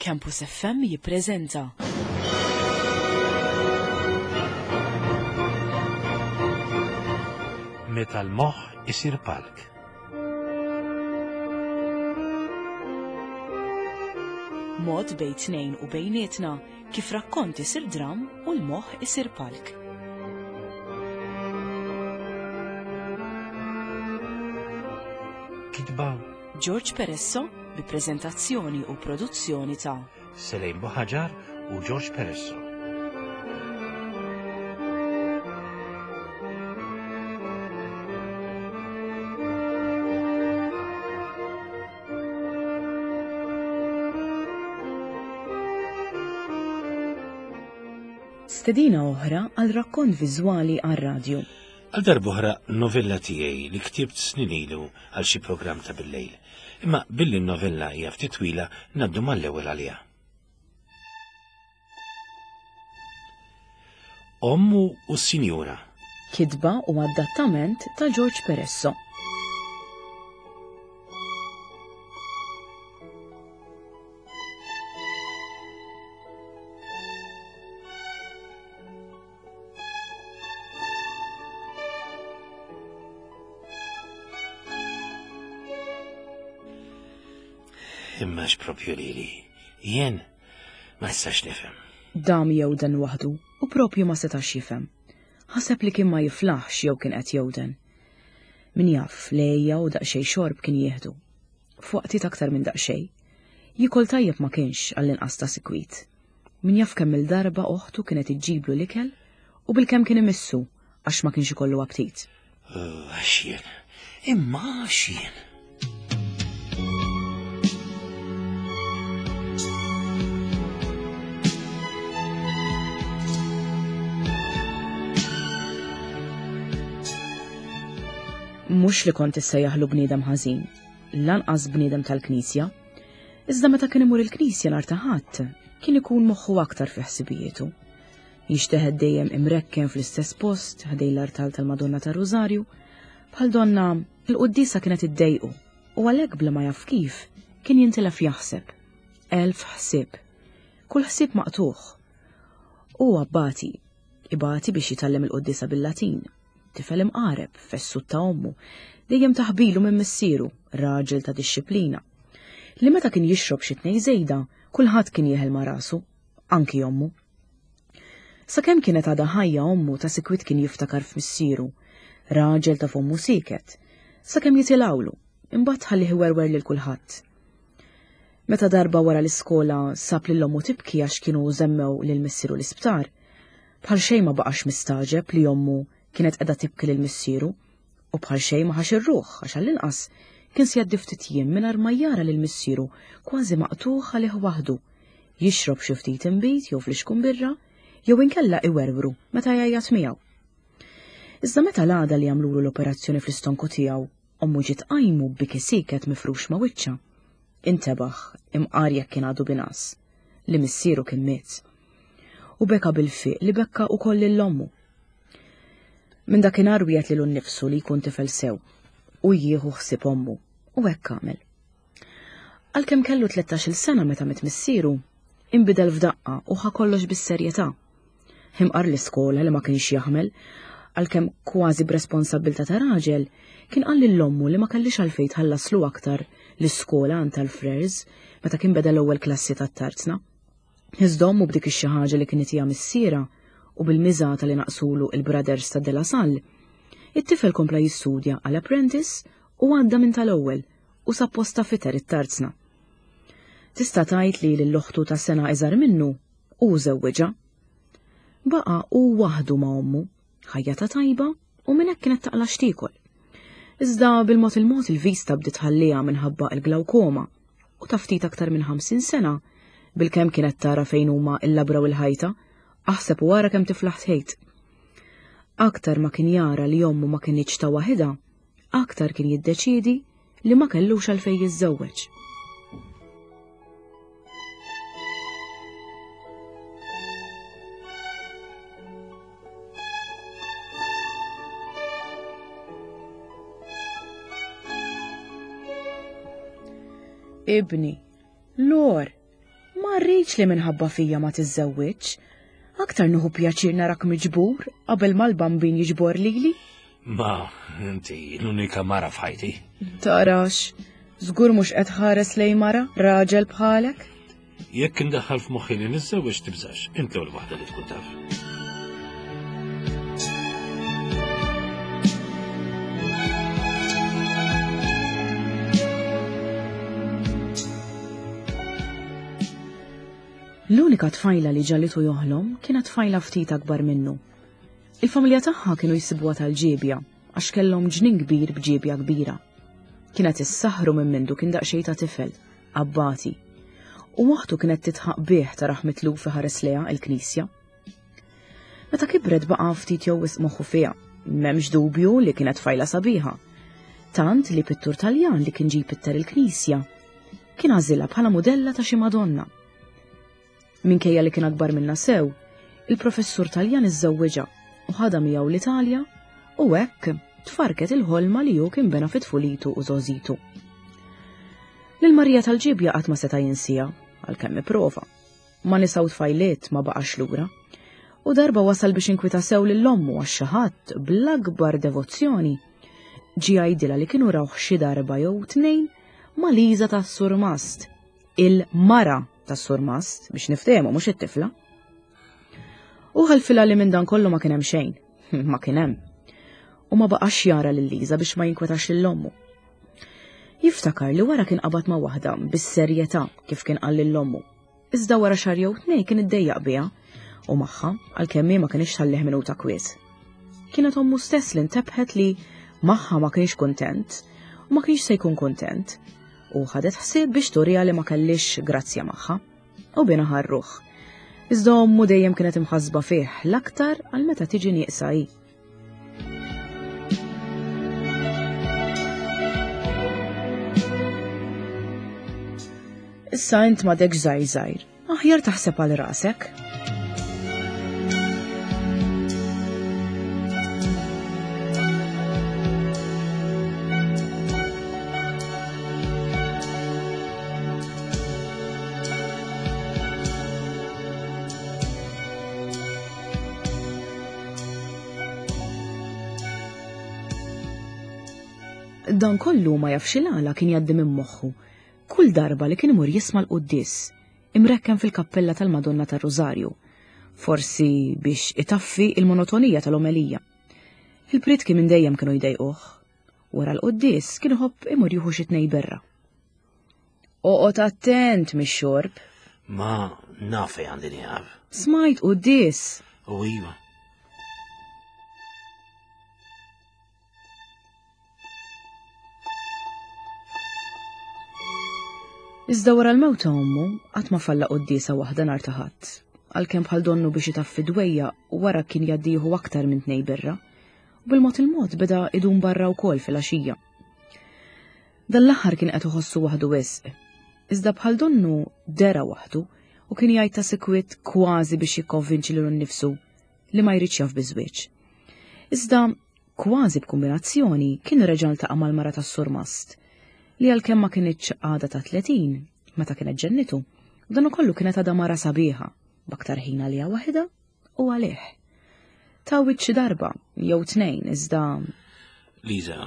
Campus FM jippreżenta. Meta l-moħħ isir palk. Mod bejn tnejn u bejnietna kif rakkont isir dram u l-moħħ isir palk. Kitba George Peresso bi preżentazzjoni u produzzjoni ta' Selejn Buħaġar u George Peresso. Stedina oħra għal rakkont viżwali għar-radju. Għal darb'oħra novella tiegħi li ktibt snin ilu għal xi programm ta' billejl. Imma billi n-novella hija ftit twila ngħaddu mal-ewwel għaliha. Ommu u s-Sinjura. Kitba u adattament ta' George Peresso. Imma x'propju lili, jien ma nistax nifhem. Dam jewden waħdu u propju ma setax jifhem. Ħaseb li kien ma jiflaħx jew kien qed jewden. Min jaf, lejja u daqsxejn xorb kien jieħdu. F'waqtiet aktar minn daqsxejn. Jiekol tajjeb ma kienx għall-inqas ta' sikwit. Min jaf kemm-il darba oħtu kienet iġġiblu l-ikel u bilkemm kien imissu għax ma kienx ikollu aptit. Għax jien, imma għax jien. Mhux li kont issejjaħlu bniedem ħażin, lanqas bniedem tal-Knisja, Iżda meta kien imur il-knisja nhar ta' Ħadd, kien ikun moħħu aktar fi ħsibijietu. Jinxteħet dejjem imrekken fl-istess post ħdejn l-artal tal-Madonna tar-Rużarju, bħal donna l-quddiesa kienet iddejqu u għalhekk bla ma jaf kif kien jintilef jaħseb. Elf ħsieb. Kull ħsieb maqtugħ. Hu abbati, ibati biex jitgħallem il-quddiesa bil-Latin. Tifel imqareb, fessut ta' ommu, dejjem taħbilu minn missieru, raġel ta' dixxiplina. Li meta kien jixrob xi tnej żejda, kulħadd kien jeħel ma' rasu, anki ommu. Sakemm kienet għadha ħajja ommu ta' sikwit kien jiftakar f'missieru, raġel ta' fommu sieket, sakemm jitilgħulu, imbagħad ħallih iwerwer lil kulħadd. Meta darba wara l-iskola sab lil ommu tibki għax kienu żemmew lil missieru l-isptar, Bħal xejn ma baqax mistagħġeb li ommu kienet qiegħda tibki lil missieru u bħal xejn ma ħax ir-ruħ għax għall-inqas kien se jgħaddi ftit jiem mingħajr ma jara lil missieru kważi maqtugħ għalih waħdu, jixrob xi ftit inbid jew flixkun birra jew inkella iwerwru meta jgħajjat miegħu. Iżda meta l-għada li għamlulu l-operazzjoni fl-istonku tiegħu, ommu ġiet tqajmu b'biki sieket mifrux ma' wiċċha, intebaħ, imqar jekk kien għadu bingħas, li missieru kien miet. U beka bil-fiq li bekka ukoll lil ommu. Minn dakinhar wiegħed lilu nnifsu li jkun tifel sew u jieħu ħsieb ommu u hekk għamel. Għalkemm kellu 13-il sena meta miet missieru, inbidel f'daqqa u ħa kollox bis-serjetà. Imqar l-iskola li ma kienx jaħmel, għalkemm kważi b'responsabbiltà ta' raġel, kien qal lil ommu li ma kellix għalfejn tħallaslu aktar l-iskola għand tal-frers meta kien beda l-ewwel klassi tat-tarzna. Iżda ommu b'dik ix-xi ħaġa li kien itiha missierha u bil-miżata li naqsulu il-brothers ta' De La Salle, it-tifel kompla jistudja għal apprentice u għadda minn tal-ewwel u sab posta fiter it-tarzna. Tista' tgħid li lil oħtu ta' sena iżgħar minnu hu żewwiġha. Baqa' hu waħdu ma' ommu, ħajjata tajba u minn hekk kienet taqla' x'tiekol. Iżda bil-mod il-mod il-vista bdiet tħalliha minħabba l-glawkoma u ta' ftit aktar minn 50 sena, bilkemm kienet tara fejn huma l-labra u l-ħajta, aħseb u ara kemm tiflaħ tħejt. Aktar ma kien jara li ommu ma kinitx ta' waħidha, aktar kien jiddeċiedi li ma kellux għalfejn jiżżewweġ. Ibni, Lor, ma. Ma rridx li minħabba fija ma tiżżewwiġx. Aktar nieħu pjaċir narak miġbur qabel ma l-bambin jiġbor lili. Ma, inti l-unika mara f'ħajti. Tarax, żgur mhux qed ħares lej mara, raġel bħalek? Jekk indaħħal f'moħħi li niżżewweġ tibżax, int l-ewwel waħda li tkun taf. L-unika tfajla li ġalitu joħlom kienet tfajla ftit akbar minnu. Il-familja tagħha kienu jsibuha tal-ġiebja għax kellhom ġnien kbir b'ġiebja kbira. Kienet issaħħru minn mindu kien daqsxejn ta' tifel, abbati. U oħtu kienet titħaq bih taraħ mitluf iħares lejha il-knisja. Meta kibret baqa' ftit jew wisq moħħu fiha. M'hemmx dubju li kienet tfajla sabiħa. Tant li pittur Taljan li kien ġie jpitter il-knisja kien għażilha bħala mudella ta' xi Madonna. Minkejja li kien akbar minna sew, il-professur Taljan iżżewwiġha u ħadha miegħu l-Italja u hekk tfarket il-ħolma li hu kien bena fi tfulitu u żgħożitu. Lil Marija tal-Ġibja qatt ma seta' jinsieha għalkemm ipprova. Ma nisa u tfajliet ma baqax lura. U darba wasal biex inkwita sew lil ommu għax xi ħadd bl-akbar devozzjoni ġie jgħidilha li kienu rawh xi darba jew tnejn ma' Liża tas-Surmast, il-mara tas-Surmast biex niftehmu mhux it-tifla. U ħalfilha li minn dan kollu ma kien hemm xejn, ma kien hemm. U ma baqax jara lil Liża biex ma jinkwetax lil ommu. Jiftakar li wara kien qabad ma' waħda bis-serjetà kif kien qal lil ommu. Iżda wara xahar jew tnejn kien iddejjaq biha u magħha għalkemm hi ma kinitx tħallih minuta kwiet. Kienet ommu stess li ntebħet li magħha ma kienx kuntent u ma kienx se jkun kuntent u ħadet ħsieb biex turiha li ma kellix grazzja magħha u bina ħarruh. Iżda ommu dejjem kienet imħassba fih l-aktar għal meta tiġi nieqsa hi. Issa int m'għadekx żgħir żgħir, aħjar taħseb għal rasek. Dan kollu ma jafx il-għala kien jgħaddi minn moħħu kull darba li kien imur jisma' l-quddies imrekken fil-kappella tal-Madonna tar-Rużarju, forsi biex itaffi il-monotonija tal-omelija. Il-prietki minn dejjem kienu jdejquh. Wara l-quddies kien iħobb imur jieħu xi tnej birra. Oqgħod attent mix-xorb. Ma naf fejn għandi nieqaf. Smajt quddies. U iva. Iżda wara l-mewt ta' ommu, qatt ma falla quddiesa waħda nhar ta' Ħadd, għalkemm bħal donnu biex itaffi dwejjaq wara kien jgħaddi jieħu aktar minn tnej birra, u bil-mod il-mod beda idum barra wkoll filgħaxija. Dan l-aħħar kien qed iħossu waħdu wisq. Iżda bħal donnu dera waħdu u kien jgħid ta' sikwit kważi biex jikkonvinċi lilu nnifsu li ma jridx jaf biż-żwieġ. Iżda kważi b'kumbinazzjoni kien reġa' ltaqa' mal-mara tas-surmast li għalkemm ma kinitx għadha ta' 30 meta kienet ġennitu, dan ukollu kienet għadha mara sabiħa b'aktar ħin għaliha waħidha u għalih. Tawwit xi darba jew tnejn iżda Liza,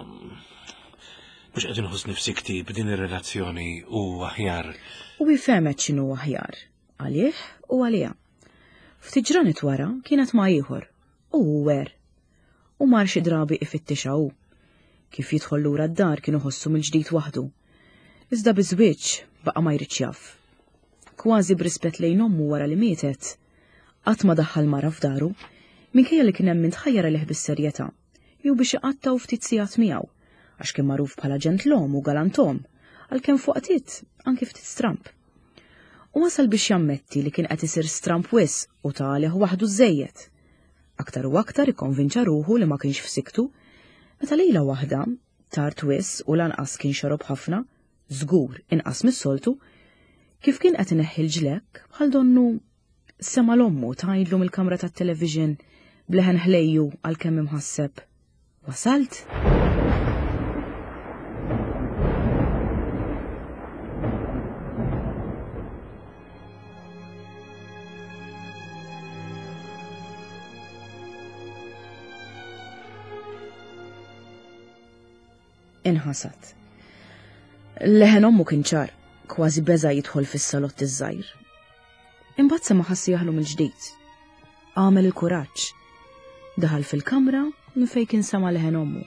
mhux qed inħoss nifsi ktib din ir-relazzjoni u aħjar. U hi fehmet x'inhu aħjar għalih u għaliha. Ftit ġranet wara kienet ma' ieħor u hu wer. U mar xi drabi ifittixha hu. Kif jidħol lura d-dar kien iħossu mill-ġdid waħdu. Iżda biż-żwieġ baqa' ma jridx jaf. Kważi b'rispett lejn ommu wara li mietet, Qatt ma daħħal mara f'daru, minkejja li kien hemm min tħajjar għalih bis-serjetà, jew biex iqattgħu ftit sigħat miegħu, għax kien magħruf bħala ġentlom u galantom, għalkemm f'waqtiet anki ftit stramb. U wasal biex jammetti li kien qed isir stramb wisq u ta' għalih waħdu żżejjed. Aktar u aktar ikkonvinċa ruħu li ma kienx f'siktu, meta lejla waħda, tard wisq u lanqas kien xorob ħafna, żgur inqas mis-soltu, kif kien qed ineħħi l-ġlekk bħal donnu sema' l-ommu tgħidlu mill-kamra tat-television b'leħen ħlejju għalkemm imħasseb. Wasalt? Inħasad. Leħen ommu kien ċar, kważi beża jidħol fis-salott iż-żgħir. Imbagħad sema' ħass jaħlu mill-ġdid. Għamel il-kuraġġ. Daħal fil-kamra minn fejn kien sama' leħen ommu.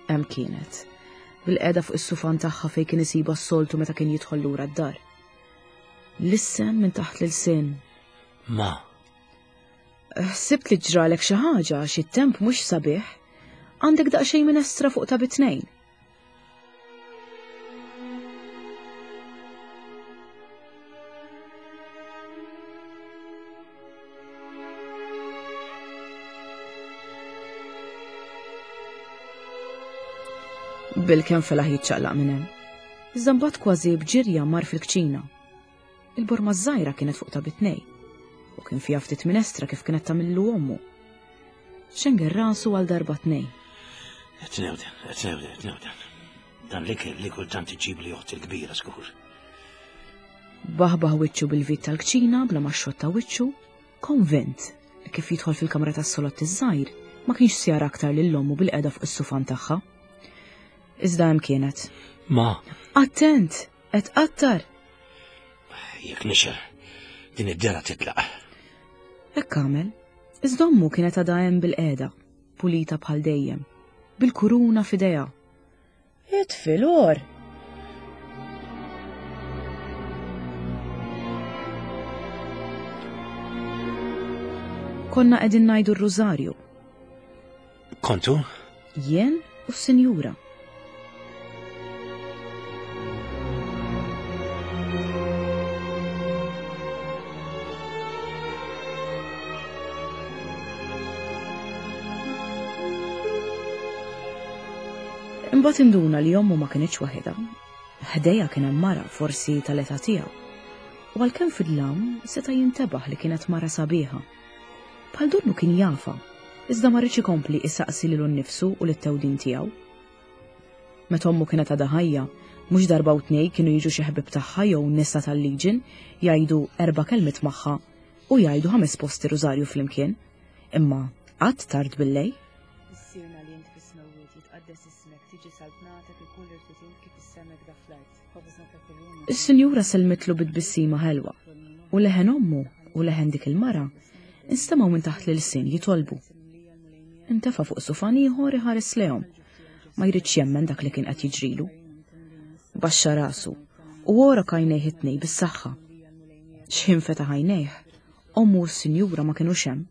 Hemm kienet, bil-qeda fuq is-sufan tagħha fejn kien isibha s-soltu meta kien jidħol lura d-dar. Lissen minn taħt l-ilsien. Ma. Ħsibt li ġralek xi ħaġa għax it-temp mhux sabiħ. Għandek daqsxejn minestra fuq ta' bitnejn. Bil-kemm felaħ jiċċaqlaq minn hemm. Iżda mbagħad kważi b'ġirja mar fil-kċina. Il-borma żgħira kienet fuq ta' bitnej u kien fiha ftit minestra kif kienet tagħmillu ommu. Xenger rasu għal darba tnej. Qed newden, qed newden, qed newden. Dan l-ikel li kultant iġib li oħti l-kbira skur. Baħbaħ wiċċu bil-vit tal-kċina bla ma xotta wiċċu, konvint li kif jidħol fil-kamra tas-solott iż-żgħir ma kienx se jara aktar lil ommu bil-qeda fuq is-sufan tagħha. Iżda hemm kienet. Ma. Attent! Qed qattar! Jekk nixel, din id-dera titlaq. Hekk għamel. Iżda ommu kienet għadha hemm bil-qiegħda, pulita bħal dejjem, bil-kuruna f'idejha. Itfi l-or! Konna qegħdin ngħidu r-rużarju. Kontu? Jien u s-sinjura. Imbagħad induna li ommu ma kinitx waħedha. Ħdejha kien hemm mara forsi tal-età tiegħu. U għalkemm fid-dlam seta' jintebaħ li kienet mara sabiħa. Bħal donnu kien jafha, iżda ma riedx ikompli isaqsi lilu nnifsu u lit-tewdin tiegħu. Meta ommu kienet għadha ħajja, mhux darba u tnej kienu jiġu xi ħbieb tagħha jew nisa tal-Legion jgħidu erba' kelmiet magħha u jgħidu ħames posti rużarju flimkien, imma qatt tard billejl. Missierna li int fis-smewwiet, jitqaddes ismek, tiġi saltnatek, ikun li rrid int kif fis-sema hekk fl-art. Is-sinjura sellmitlu bi tbissima ħelwa, u leħen ommu u leħen dik il-mara instemgħu minn taħt l-ilsien jitolbu. Intefa' fuq sufan ieħor iħares lejhom, ma jridx jemmen dak li kien qed jiġrilu. Baxxa rasu u għorok għajnejh it-tnej bis-saħħa. X'ħin fetaħ għajnejh, ommu u s-sinjura ma kinux hemm.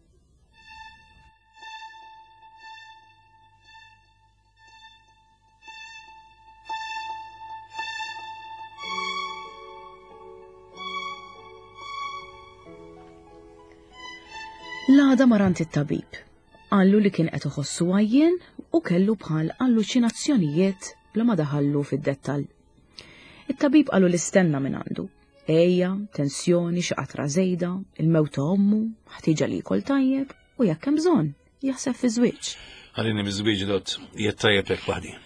L-għada marant it-tabib. Qallu li kien qed iħossu għajjien u kellu bħal alluċinazzjonijiet bla ma daħallu fid-dettall. It-tabib qalu li stenna minn għandu. Ejja, tensjoni, xi qatra żejda, il-mewt ta' ommu, ħtieġa li jkol tajjeb u jekk hemm bżonn, jaħseb fi żwieġ. Ħallini miż-żwieġ dott, jiet tajjeb hekk waħdi.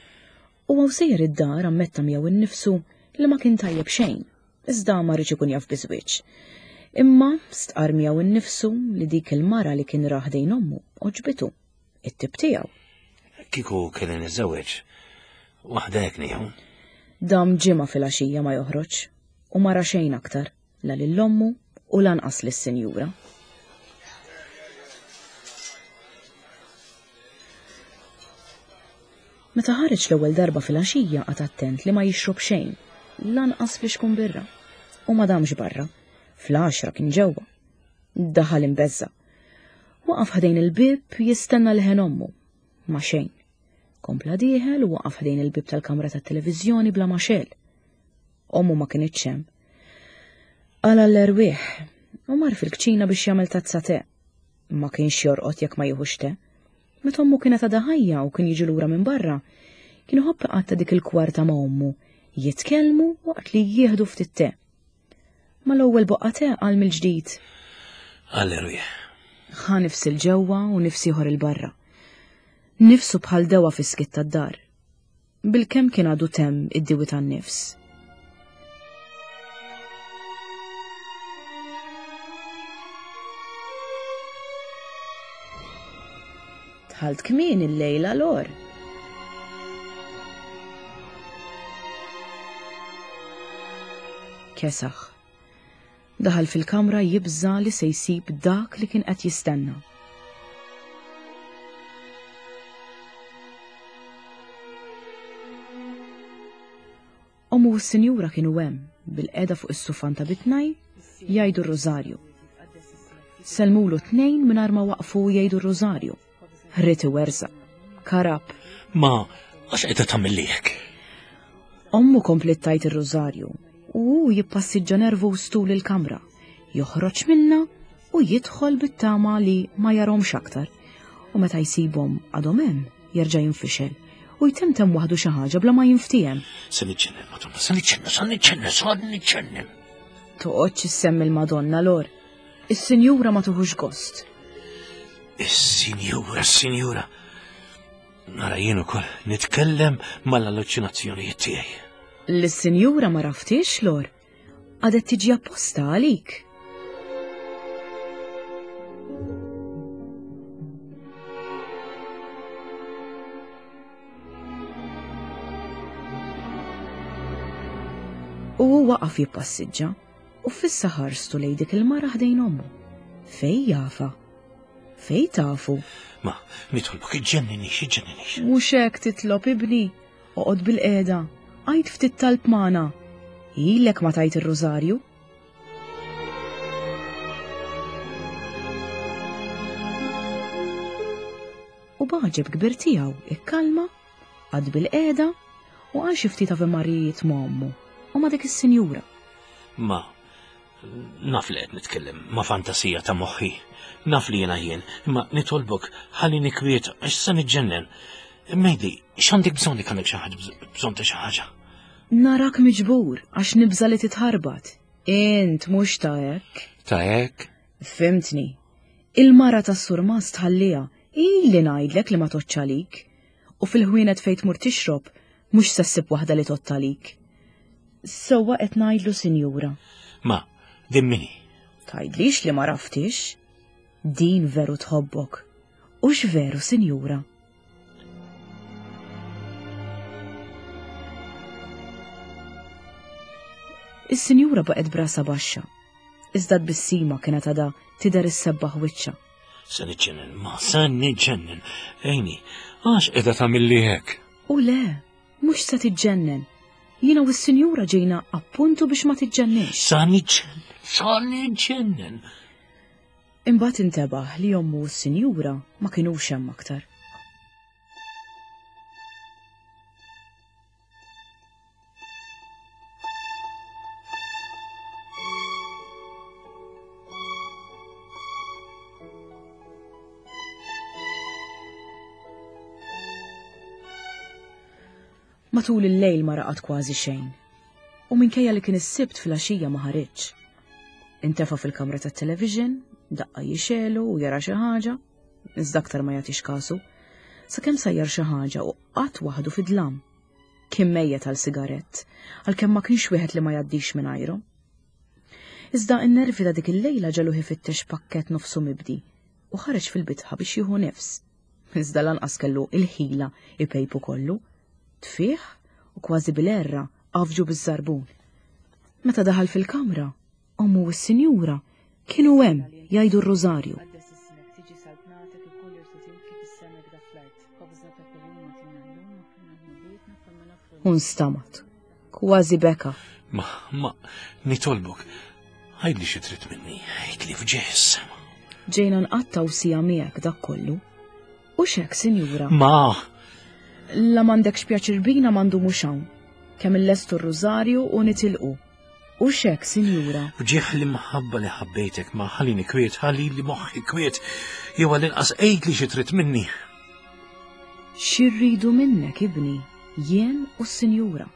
U hawn sejjer id-dar ammetta miegħu innifsu li ma kien tajjeb xejn, iżda ma riedx ikun jaf biż-żwieġ. Imma stqarr miegħu innifsu li dik il-mara li kien ra ħdejn ommu għoġbitu, it-tip tiegħu. Kieku kelli niżżewweġ, waħda hekk nieħu. Dam ġimgħa filgħaxija ma joħroġ u ma ra xejn aktar. la lil ommu u lanqas lis-sinjura. Meta ħareġ l-ewwel darba filgħaxija qagħad attent li ma jixrob xejn, lanqas flixkun birra. U ma damx barra. Fl-għaxra kien ġewwa. Daħal imbeżża'. Waqaf ħdejn il-bieb jistenna leħen ommu. Ma xejn. Kompla dieħel u waqaf ħdejn il-bieb tal-kamra tat-televiżjoni bla ma xegħel. Ommu ma kinitx hemm. Qala l-erwieħ u mar fil-kċina biex jagħmel tazza te. Ma kienx jorqod jekk ma jieħux te. Meta ommu kienet għadha ħajja u kien jiġi lura minn barra, kien iħobb iqatta' dik il-kwarta ma' ommu, jitkellmu waqt li jieħdu ftit te. Mal-ewwel boqqa te qal mill-ġdid. Għall-erwieħ. Ħa nifs il-ġewwa u nifs ieħor il-barra. Nifsu bħal dewa fis-skiet tad-dar. Bilkemm kien għadu temm id-diwi tan-nifs. Dħalt kmieni llejla Lor. Kesaħ. Daħal fil-kamra jibża' li se jsib dak li kien qed jistenna. Ommu u s-sinjura kienu hemm, bilqiegħda fuq is-sufan ta' bitnaj, jgħidu r-rużarju. Sellmulu t-tnejn mingħajr ma waqfu jgħidu r-rużarju. Ried iwerżaq. Karab. Ma, għax qiegħda tagħmilli hekk? Ommu kompliet tgħid ir-rużarju u hu jippassiġġa nervuż tul il-kamra, joħroġ minnha u jidħol bit-tama li ma jarhomx aktar. U meta jsibhom għadhom hemm, jerġa' jinfixel u jtemtem waħdu xi ħaġa bla ma jinftiehem. Se niġġennen, Madonna, se niġġennen, se niġġennen, se niġġennen. Toqgħodx issemmi l-Madonna Lor. Is-sinjura ma tuħux gost. Is-sinjura, is-sinjura. Nara jien ukoll nitkellem mal-alluċinazzjonijiet tiegħi. Lis-sinjura ma raftix, Lor. Għadet tiġi apposta għalik. U hu waqaf jippassiġġa u fissa ħarstu lejn dik il-mara ħdejn ommu. Fej jafa? Fej tafu? Ma, nitolbok iġġenninix, iġġenninix. Mhux hekk titlob ibni, oqgħod bil-qiegħda, għid ftit talb magħna. Ilek ma tajt ir-rużarju. U b'għaġeb kbir tiegħu ikkalma, qagħad bil-qiegħda u qal xi ftit Ave Marijiet ma' ommu u ma' dik is-sinjura. Ma, naf li qed nitkellem ma' fantasija ta' moħħi. Naf li jiena jien, imma nitolbok ħallini kwiet għax se niġġennen. Mejdi, x'għandek bżonn li għandek xi ħaġa bżonn ta' xi ħaġa? Narak miġbur għax nibża' li titħarbat. Int mhux ta' hekk. Ta' hekk? Fhimtni. Il-mara tas-surmast tħalliha, ili ngħidlek li ma tgħoddx għalik. U fil-ħwienet fejn tmur tixrob, mhux se ssib waħda li tgħodd għalik. Sewwa qed ngħidlu sinjura. Ma, din min hi? Tgħidlix li ma raftix. Din veru tħobbok. Hux veru, sinjura? Is-sinjura baqgħet brasa baxxa. Iżda t-tbissima kienet għadha tidher issebbaħ wiċċha. Se niġġennen, ma se niġġennen. Ejni, għax qiegħda tagħmilli hekk? U le, mhux se tiġġennen. Jiena u s-sinjura ġejna appuntu biex ma tiġġenninx. Sa niġġennen, sa niġġennen. Imbagħad intebaħ li ommu u s-sinjura ma kinux hemm aktar. Matul il-lejl ma raqad kważi xejn. U minkejja li kien is-Sibt filgħaxija ma ħariġx. Intefa' fil-kamra tat-television, daqqa jixelu u jara xi ħaġa, iżda aktar ma jagħtix kasu, sakemm sajjar xi ħaġa u qagħad waħdu fid-dlam. Kien mejjet għal sigarett, għalkemm ma kienx wieħed li ma jgħaddix mingħajru. Iżda n-nervi ta' dik il-lejla ġegħluh ifittex pakkett nofsu mibdi u ħareġ fil-bitħa biex jieħu nifs. Iżda lanqas kellu il-ħila ipejpu kollu. Tfih u kważi bil-għerra għafġu biż-żarbun. Meta daħal fil-kamra, ommu u s-sinjura kienu hemm jgħidu r-rużarju. U nstamat, kważi beka. Ma, ma, nitolbok, għidli xi trid minni, għidli f'ġieħ is-sema. Ġejna nqattgħu siegħa miegħek dak kollu. U x'hekk, sinjura? Ma! La m'għandekx pjaċir bina ma ndumux hawn. Kemm illestu r-rużarju u nitilqu. U x'hekk, sinjura? F'ġieħ l-imħabba li ħabbejtek ma ħallini kwiet, ħallili moħħi kwiet, jew għall-inqas għidli xi trid minni. Xi rridu minnek, ibni, jien u s-sinjura.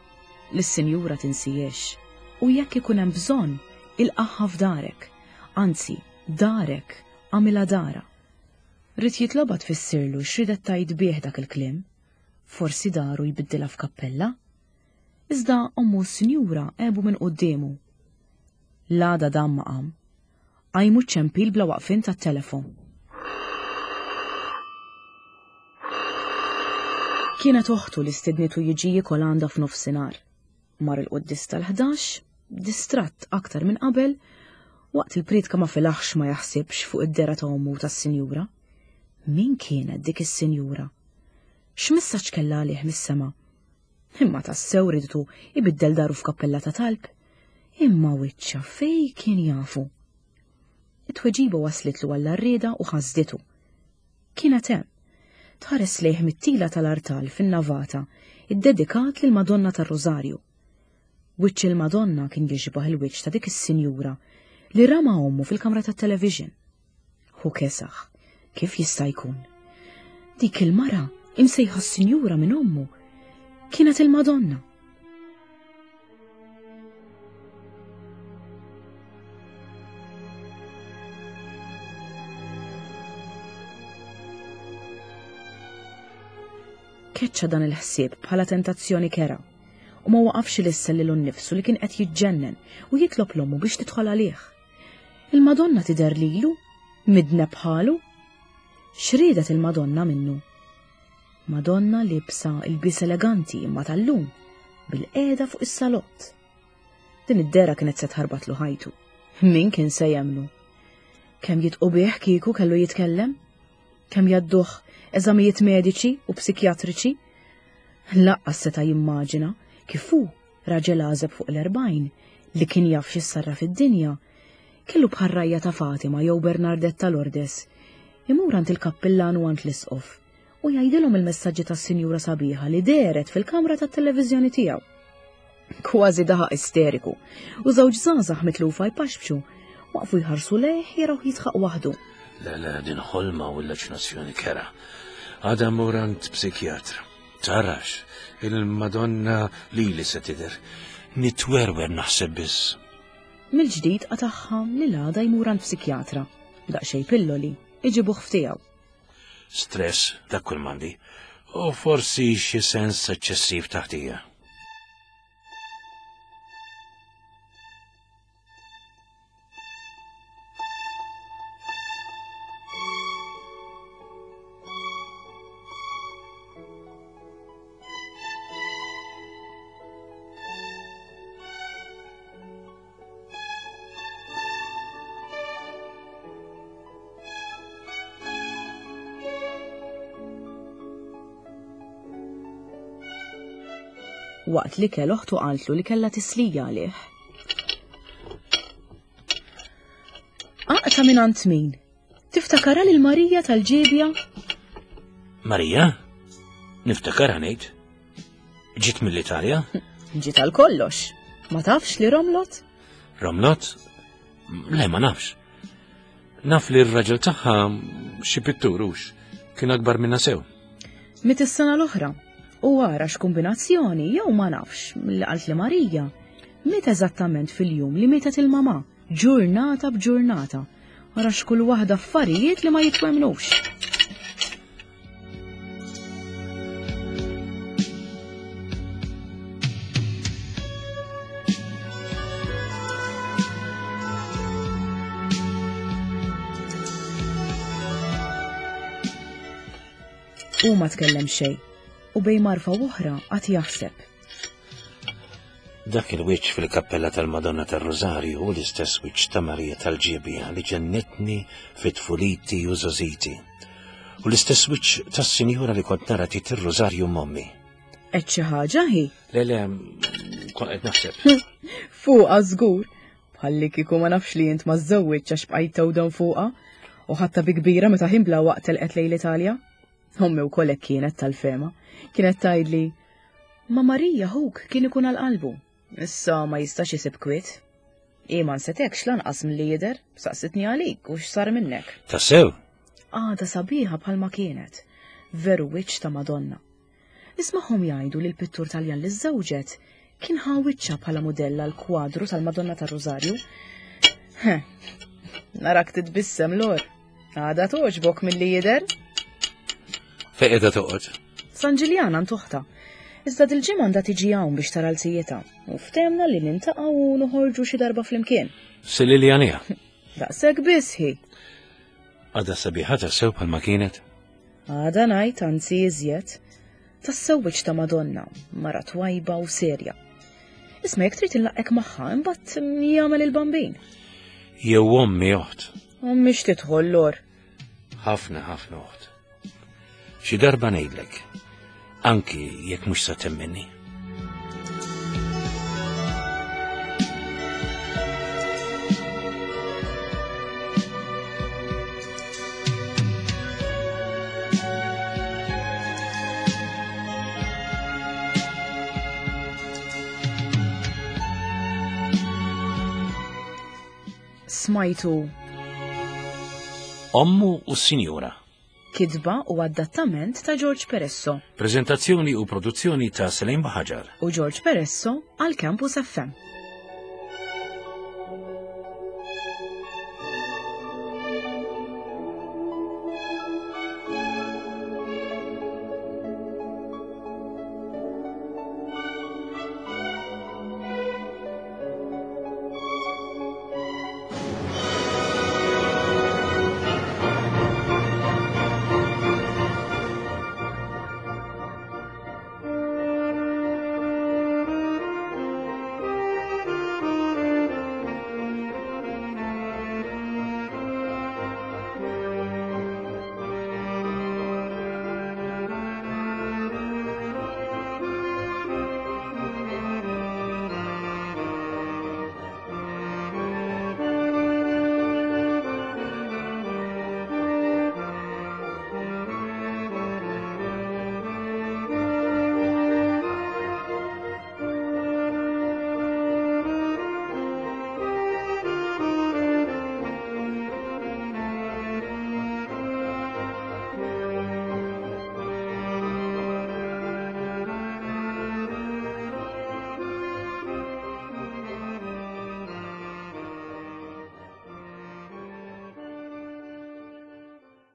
Lis-sinjura tinsihiex. U jekk ikun hemm bżonn, ilqagħha f'darek. Anzi, darek, agħmilha darha. Ried jitlobha tfissirlu x'riedet tgħid bih dak il-kliem. Forsi daru jbiddilha f'kappella? Iżda ommu u s-sinjura għebu minn quddiemu. L-għada dam ma qam. Qajmu ċ-ċempil bla waqfien tat-telefon. Kienet oħtu li stidnitu jiġi jiekol għandha f'nofsinhar. Mar il-quddies tal-ħdax. Distratt aktar minn qabel, waqt il-priedka ma felaħx ma jaħsibx fuq id-dehra ta' ommu u tas-sinjura. Min kienet dik is-sinjura? X'messaġġ kellha għalih mis-sema? Imma tassew ridtu ibiddel daru f'kappella ta' talb? Imma wiċċha fej kien jafu? It-tweġiba waslitlu għall-għarrieda u ħasditu. Kienet hemm. Tħares lejh mit-tila tal-artal fin-navata, iddedikat lill-Madonna tar-Rużarju. Wiċċ il-Madonna kien jixbah il-wiċċ ta' dik is-sinjura li ra ma' ommu fil-kamra tat-television. Hu kesaħ. Kif jista' jkun? Dik il-mara, imsejħa s-sinjura minn ommu, kienet il-Madonna. Keċċa dan il-ħsieb bħala tentazzjoni kera u ma waqafx ilissel lilu nnifsu li kien qed jiġġennen u jitlob l-ommu biex tidħol għalih. Il-Madonna tidher lilu, midneb bħalu? X'riedet il-Madonna minnu? Madonna liebsa ilbies eleganti imma tal-lum, bil-qiegħda fuq is-salott. Din id-dehra kienet se tħarbatlu ħajtu. Min kien se jemmnu? Kemm jitqu bih kieku kellu jitkellem? Kemm jgħadduh eżamijiet mediċi u psikjatriċi? Laqqas seta' jimmaġina kif hu, raġel għażeb fuq l-40, li kien jaf x'issarraf id-dinja, kellu bħar-rajja ta' Fatima jew Bernardette ta' Lourdes, imur għand il-kappillan u għand l-isqof u jgħidilhom il-messaġġi tas-sinjura sabiħa li dehret fil-kamra tat-televiżjoni tiegħu. Kważi daħaq isteriku u żewġ żgħażagħ mitlufa jpaxpxu waqfu jħarsu lejh jarawh jidħaq waħdu. Le, le, din ħolma u l-leġnazzjoni kera. Għada mmur għand psikjatra. Tarax, il-Madonna lili se tidher. Nitwerwer naħseb biss. Mill-ġdid qatagħha li l-għada jmur għand psikjatra. Daqsxejn pilloli, iġibuh f'tiegħu. Stress, dak kull m'għandi. U forsi xi sens eċċessiv ta' ħtija. Waqt li kell oħtu qaltlu li kellha tislija għalih. Aqta minn għand min? Tiftakarha lil Marija tal-ġiebja? Marija? Niftakarha ngħid. Ġiet mill-Italja? Ġiet għal kollox. Ma tafx li romlot? Romlot? Le, ma nafx. Naf li r-raġel tagħha xi pittur hux, kien akbar minna sew. Mit is-sena l-oħra. U ara x'kombinazzjoni jew ma nafx li qalt li Marija. Miet eżattament fil-jum li mietet il-mama, ġurnata b'ġurnata. Ara x'kull waħda affarijiet li ma jitwemnux. Hu ma tkellem xejn u bejn marfa u oħra qagħad jaħseb. Dak il-wiċċ fil-kappella tal-Madonna tar-Rużarju hu l-istess wiċċ ta' Marija tal-Ġiebja li ġennitni fi tfuliti u żgħożiti. U l-istess wiċċ tas-sinjura li kont nara tit ir-Rużarju m'ommi. Qed xi ħaġa hi? Le le, kont qed naħseb. Fuqha żgur. Bħalli kieku ma nafx li int ma żżewwiġx għax bqajt tewdem fuqha u ħadtha bi kbira meta ħin bla waqt telqet lejn l-Italja. Ommi wkoll hekk kienet tal-fehma. Kienet tgħidli, Ma Marija ħuk kien ikun għal qalbu. Issa ma jistax isib kwiet. Hi ma nsetekx lanqas milli jidher, saqsitni għalik u x'sar minnek. Tassew? Għadha sabiħa bħalma kienet. Veru wiċċ ta' Madonna. Nismagħhom jgħidu li l-pittur Taljan li żżewġet kien ħa wiċċha bħala mudell għal kwadru tal-Madonna tar-Rużarju. Narak titbissem lor. Għada toġbok milli jidher. Fejn qiegħda toqgħod? San Ġiljan għand oħtha. Iżda dil-ġimgħa għandha tiġi hawn biex tara l-zijietha u ftehmna li nintaqgħu u noħorġu xi darba flimkien. Si Liljanija. Daqshekk biss hi. Għadha sabiħa tassew bħalma kienet? Għada ngħid anzi iżjed. Tassew wiċċ ta' Madonna, mara twajba u serja. Isma' jekk trid inlaqqek magħha, imbagħad jagħmel il-bambin. Jew ommi oħt. Ommi x'tidħol lor. Ħafna ħafna oħt. Xi darba ngħidlek, anki jekk mhux sa temminni. Smajtu Ommu u s-Sinjura. Kitba u adattament ta' George Peresso. Prezentazzjoni u produzzjoni ta' Selim Baħaġar. U George Peresso għal Campus FM.